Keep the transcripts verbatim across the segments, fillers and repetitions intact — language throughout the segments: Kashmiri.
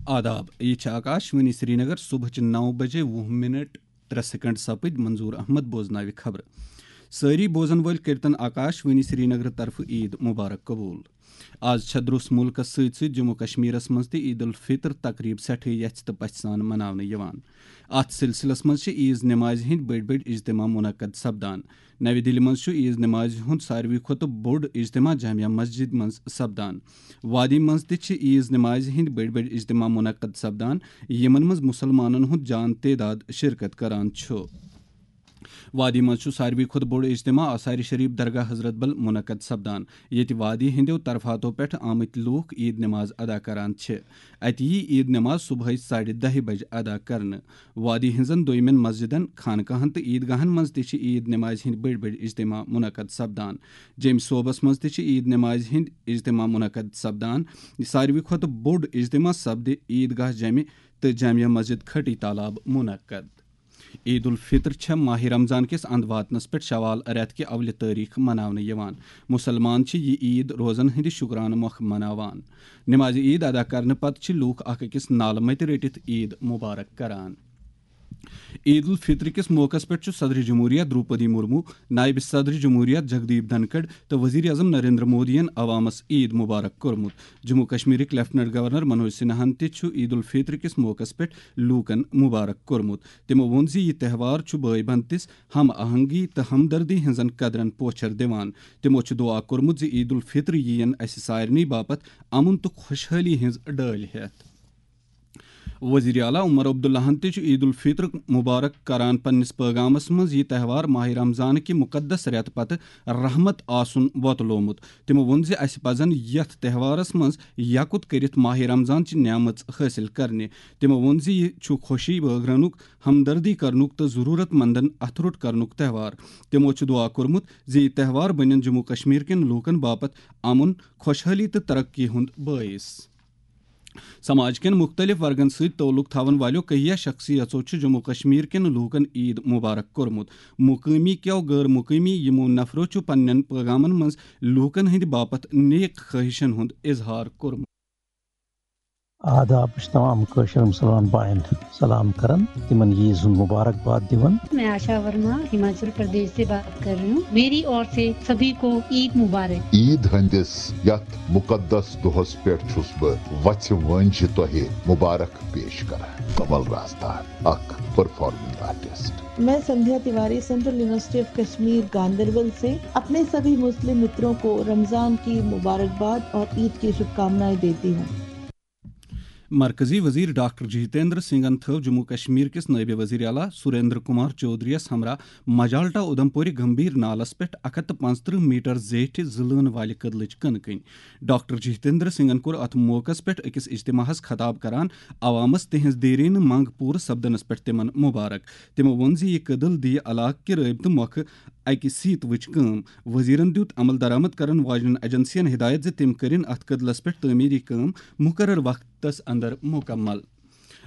آداب، یہِ چھِ آکاش وانی سرینگر۔ صبحٕچہِ نَو بجے وُہ منٹ ترٛےٚ سیکنڈ سپٕدۍ۔ منظور احمد بوزناوِ خبرٕ۔ سٲری بوزن وٲلۍ کٔرتن آکاش وانی سرینگر طرفہٕ عید مبارک قبول۔ آز چھےٚ درٛوس مُلکس سۭتۍ سۭتۍ جموں کشمیرس منٛز تہِ عید الفطر تقریب سٮ۪ٹھٕے یژھِ تہٕ پژھِ سان مناونہٕ یِوان۔ اتھ سلسلس منٛز چھِ عیز نمازِ ہٕنٛدۍ بٔڑۍ بٔڑۍ اجتماع منعقد سپدان۔ نَوِ دِلہِ منٛز چھُ عیز نمازِ ہُنٛد ساروی کھۄتہٕ بوٚڑ اجتماع جامع مسجد منٛز سپدان۔ وادی منٛز تہِ چھِ عیز نمازِ ہٕنٛدۍ بٔڑۍ بٔڑۍ اجتماع منعقد سپدان، یِمن منٛز مُسلمانن ہُنٛد جان تعداد شرکت کران چھُ۔ وادی منٛز چھُ ساروی کھۄتہٕ بوٚڑ اجتماع آثار شریف درگاہ حضرت بل منعقد سپدان، ییٚتہِ وادی ہٕنٛدیو طرفاتو پٮ۪ٹھ آمٕتۍ لوٗکھ عید نماز ادا کران چھِ۔ اَتہِ یی عید نماز صبحٲے ساڑِ دَہہِ بجہِ ادا کرنہٕ۔ وادی ہٕنٛزن دوٚیمٮ۪ن مسجدن، خانقاہن تہٕ عیدگاہن منٛز تہِ چھِ عید نمازِ ہٕنٛدۍ بٔڑۍ بٔڑۍ اجتماع منعقد سپدان۔ جیٚمۍ صوبس منٛز تہِ چھِ عید نمازِ ہٕنٛدۍ اجتماع منعقد سپدان۔ یہِ ساروی کھۄتہٕ بوٚڑ اجتماع سپدِ عیدگاہ جمہِ تہٕ جامع مسجد کھٹی تالاب منعقد۔ عید الفطر چھےٚ ماہِ رمضان کِس اند واتنس پٮ۪ٹھ شوال رٮ۪تھ کہِ اولہِ تٲریخ مناونہٕ یِوان۔ مُسلمان چھِ یہِ عید روزن ہٕنٛدِ شُکرانہٕ مۄکھٕ مناوان۔ نمازِ عید ادا کرنہٕ پتہٕ چھِ لوٗکھ اکھ أکِس نالہٕ متہِ رٔٹِتھ عید مبارک کران۔ عید الفطر کِس موقعس پٮ۪ٹھ چھُ صدر جمہوریہ دروپدی مرمو، نائب صدر جمہوریہ جگدیپ دھنکھڑ تہٕ وزیر اعظم نریندر مودیَن عوامس عید مبارک کوٚرمُت۔ جموں کشمیرٕکۍ لیفٹیننٹ گورنر منوج سنہاہن تہِ چھُ عید الفطر کِس موقعس پٮ۪ٹھ لوٗکن مبارک کوٚرمُت۔ تِمو ووٚن زِ یہِ تہوار چھُ بٲے بنتِس، ہم آہنگی تہٕ ہمدردی ہٕنٛزن قدرن پوچھر دِوان۔ تِمو چھُ دُعا کوٚرمُت زِ عید الفطر یِیَن اسہِ سارنٕے باپتھ امن تہٕ خۄشحٲلی ہٕنٛز ڈٲلۍ ہٮ۪تھ۔ وزیر اعلیٰ عمر عبداللہن تہِ چھُ عید الفطر مبارک کران پننِس پیغامس منٛز یہِ تہوار ماہِ رمضان کہِ مقدس رٮ۪تہٕ پتہٕ رحمت آسُن وۄتلومُت۔ تِمو ووٚن زِ اسہِ پزن یتھ تہوارس منٛز یکُت کٔرِتھ ماہِ رمضان چہِ نعمژ حٲصِل کرنہِ۔ تِمو ووٚن زِ یہِ چھُ خوشی بٲگرنُک، ہمدردی کرنُک تہٕ ضروٗرت مندن اتھٕ روٚٹ کرنُک تہوار۔ تِمو چھُ دُعا کوٚرمُت زِ یہِ تہوار بنن جموں کشمیر کٮ۪ن لوٗکن باپتھ امن، خۄشحٲلی تہٕ ترقی ہُنٛد بٲعث۔ سماج کٮ۪ن مُختٔلِف ورگن سۭتۍ تعلق تھاون والٮ۪و کہیا شخصیژو چھُ جموں کشمیر کٮ۪ن لوٗکن عید مبارک کوٚرمُت۔ مقٲمی کیو غٲر مقٲمی یِمو نفرو چھُ پننٮ۪ن پیغامن منٛز لوٗکن ہٕنٛدِ باپتھ نیک خٲہشن ہُنٛد اظہار کوٚرمُت۔ آداب، بہٕ چھُس تمام کٲشِر مُسلمان باین سلام کران، تِمن عیٖز ہُنٛد مُبارک باد دِوان۔ میں آشا ورما ہماچل پردیش سے بات کر رہی ہوں۔ میری اور سے سبھی کو عید مبارک۔ عید ہٕنٛدِس یتھ مُقدس دۄہس پٮ۪ٹھ چھُس بہٕ وژھِ وٲنٛجہِ تۄہہِ مُبارک پیش کران۔ کمل رازدار، اکھ پرفارمنگ آرٹسٹ۔ میں Sandhya Tiwari, central university of Kashmir Ganderbal سے اپنے سبھی مسلم متروں کو رمضان کی مبارکباد اور عید کی شبھ کامنائیں دیتی ہوں۔ مرکزی وزیر ڈاکٹر جتیندر سنگھن تھٲو جموں کشمیر کِس نٲیِب وزیر اعلیٰ سریندر کمار چودھری یَس ہمراہ مجالٹا اودھمپوری گمبھیر نالس پٮ۪ٹھ اکھ ہتھ تہٕ پانٛژترٕہ میٹر زیٹھِ زٕ لٲن والہِ کٔدلٕچ کٕنہٕ کٕنۍ۔ ڈاکٹر جتیندر سنگھن کوٚر اتھ موقعس پٮ۪ٹھ أکِس اجتماعس خطاب کران عوامس تِہنٛز دیرینہٕ منٛگ پوٗرٕ سپدنس پٮ۪ٹھ تِمن مبارک۔ تِمو ووٚن زِ یہِ کٔدٕل دِیہِ علاقہٕ کہِ رٲبطہٕ مۄکھٕ اکہِ سیتوٕچ کٲم۔ وزیرن دیُت عمل درآمد کرن واجنٮ۪ن ایجنسین ہدایت زِ تِم کٔرِن اتھ کٔدلس پٮ۪ٹھ تعمیری کٲم مقرر وقتس اندر مکمل۔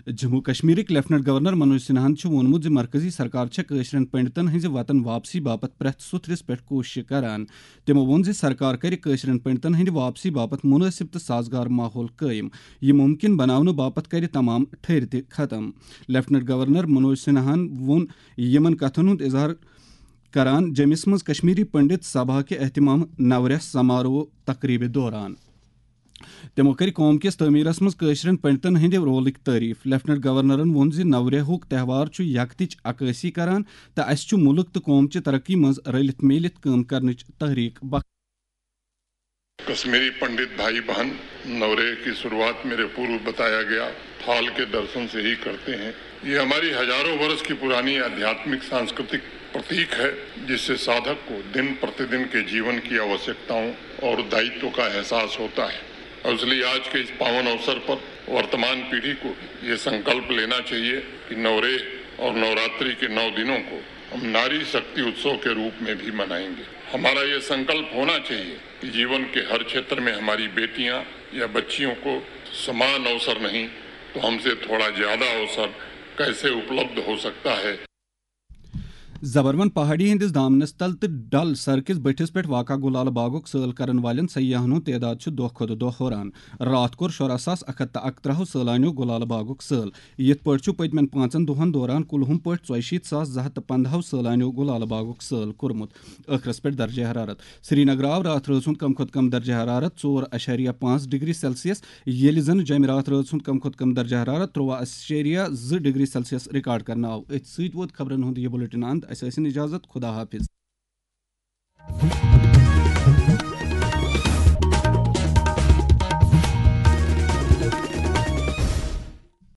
جموں کشمیرٕکۍ لیفٹیننٹ گورنر منوج سنہاہن چھُ ووٚنمُت زِ مرکزی سرکار چھےٚ کٲشرٮ۪ن پنڈتن ہٕنٛزِ وطن واپسی باپتھ پرٛٮ۪تھ سُتھرِس پٮ۪ٹھ کوٗششہٕ کران۔ تِمو ووٚن زِ سرکار کرِ کٲشرٮ۪ن پنڈتن ہٕنٛدِ واپسی باپتھ مُنٲسِب تہٕ سازگار ماحول قٲیِم۔ یہِ مُمکِن بناونہٕ باپتھ کرِ تمام ٹھٔرۍ تہِ ختم۔ لیفٹیننٹ گورنر منوج سنہاہن ووٚن یِمن کتھن ہُنٛد اظہار کران جیٚمِس منٛز کشمیری پنڈت سبھا کہِ اہتمام نوریہ سماروہ تقریبہِ دوران۔ تِمو کٔرۍ قوم کِس تعمیرس منٛز کٲشرٮ۪ن پنڈتن ہٕنٛدِ رولٕکۍ تعریف۔ لیفٹیننٹ گورنرن ووٚن زِ نوریہُک تہوار چھُ یکتٕچ عکٲسی کران تہٕ اسہِ چھُ مُلک تہٕ قوم چہِ ترقی منٛز رلِتھ میٖلِتھ کٲم کرنٕچ تحریک بخش۔ کشمیری پنڈت بھائی بہن نورے کی शुरुआत मेरे पूर्व बताया गया थाल के दर्शन से ही करते हैं। ये हमारी हजारों वर्ष की पुरानी आध्यात्मिक सांस्कृतिक प्रतीक है, जिससे साधक को दिन प्रतिदिन के जीवन की आवश्यकताओं और दायित्व का एहसास होता है। और इसलिए आज के इस पावन अवसर पर वर्तमान पीढ़ी को ये संकल्प लेना चाहिए कि नवरेह और नवरात्रि के नौ दिनों को हम नारी शक्ति उत्सव के रूप में भी मनाएंगे। हमारा ये संकल्प होना चाहिए कि जीवन के हर क्षेत्र में हमारी बेटियां या बच्चियों को समान अवसर नहीं तो हमसे थोड़ा ज्यादा अवसर कैसे उपलब्ध हो सकता है। زبروَن پہاڑی ہٕنٛدِس دامنس تل تہٕ ڈل سر کِس بٔٹھِس پٮ۪ٹھ واقع گُلالہٕ باغُک سٲل کرن والٮ۪ن سیاحن ہُنٛد تعداد چھُ دۄہ کھۄتہٕ دۄہ ہُران۔ راتھ کوٚر شُراہ ساس اکھ ہتھ تہٕ اکترٛہو سٲلانیو گُلالہٕ باغُک سٲل۔ یِتھ پٲٹھۍ چھُ پٔتمٮ۪ن پانٛژن دۄہن دوران کُلہُم پٲٹھۍ ژۄیہِ شیٖتھ ساس زٕ ہتھ تہٕ پنٛداہو سٲلانیو گُلالہٕ باغُک سٲل کوٚرمُت۔ ٲخرس پٮ۪ٹھ درجہ حرارت۔ سرینگر آو راتھ رٲژ ہُنٛد کم کھۄتہٕ کم درجہ حرارت ژور اَشاریہ پانٛژھ ڈگری سیلسیس، ییٚلہِ زن جمہِ راتھ رٲژ ہُنٛد کم کھۄتہٕ کم درجہ حرارت ترٛوواہ اَشاریہ زٕ ڈگری سیلسیس ریکارڈ کرنہٕ آو۔ أتھۍ سۭتۍ ووت خبرن ہُنٛد یہِ بُلٹن اند۔ اسہِ ٲسِن اجازت۔ خدا حافظ۔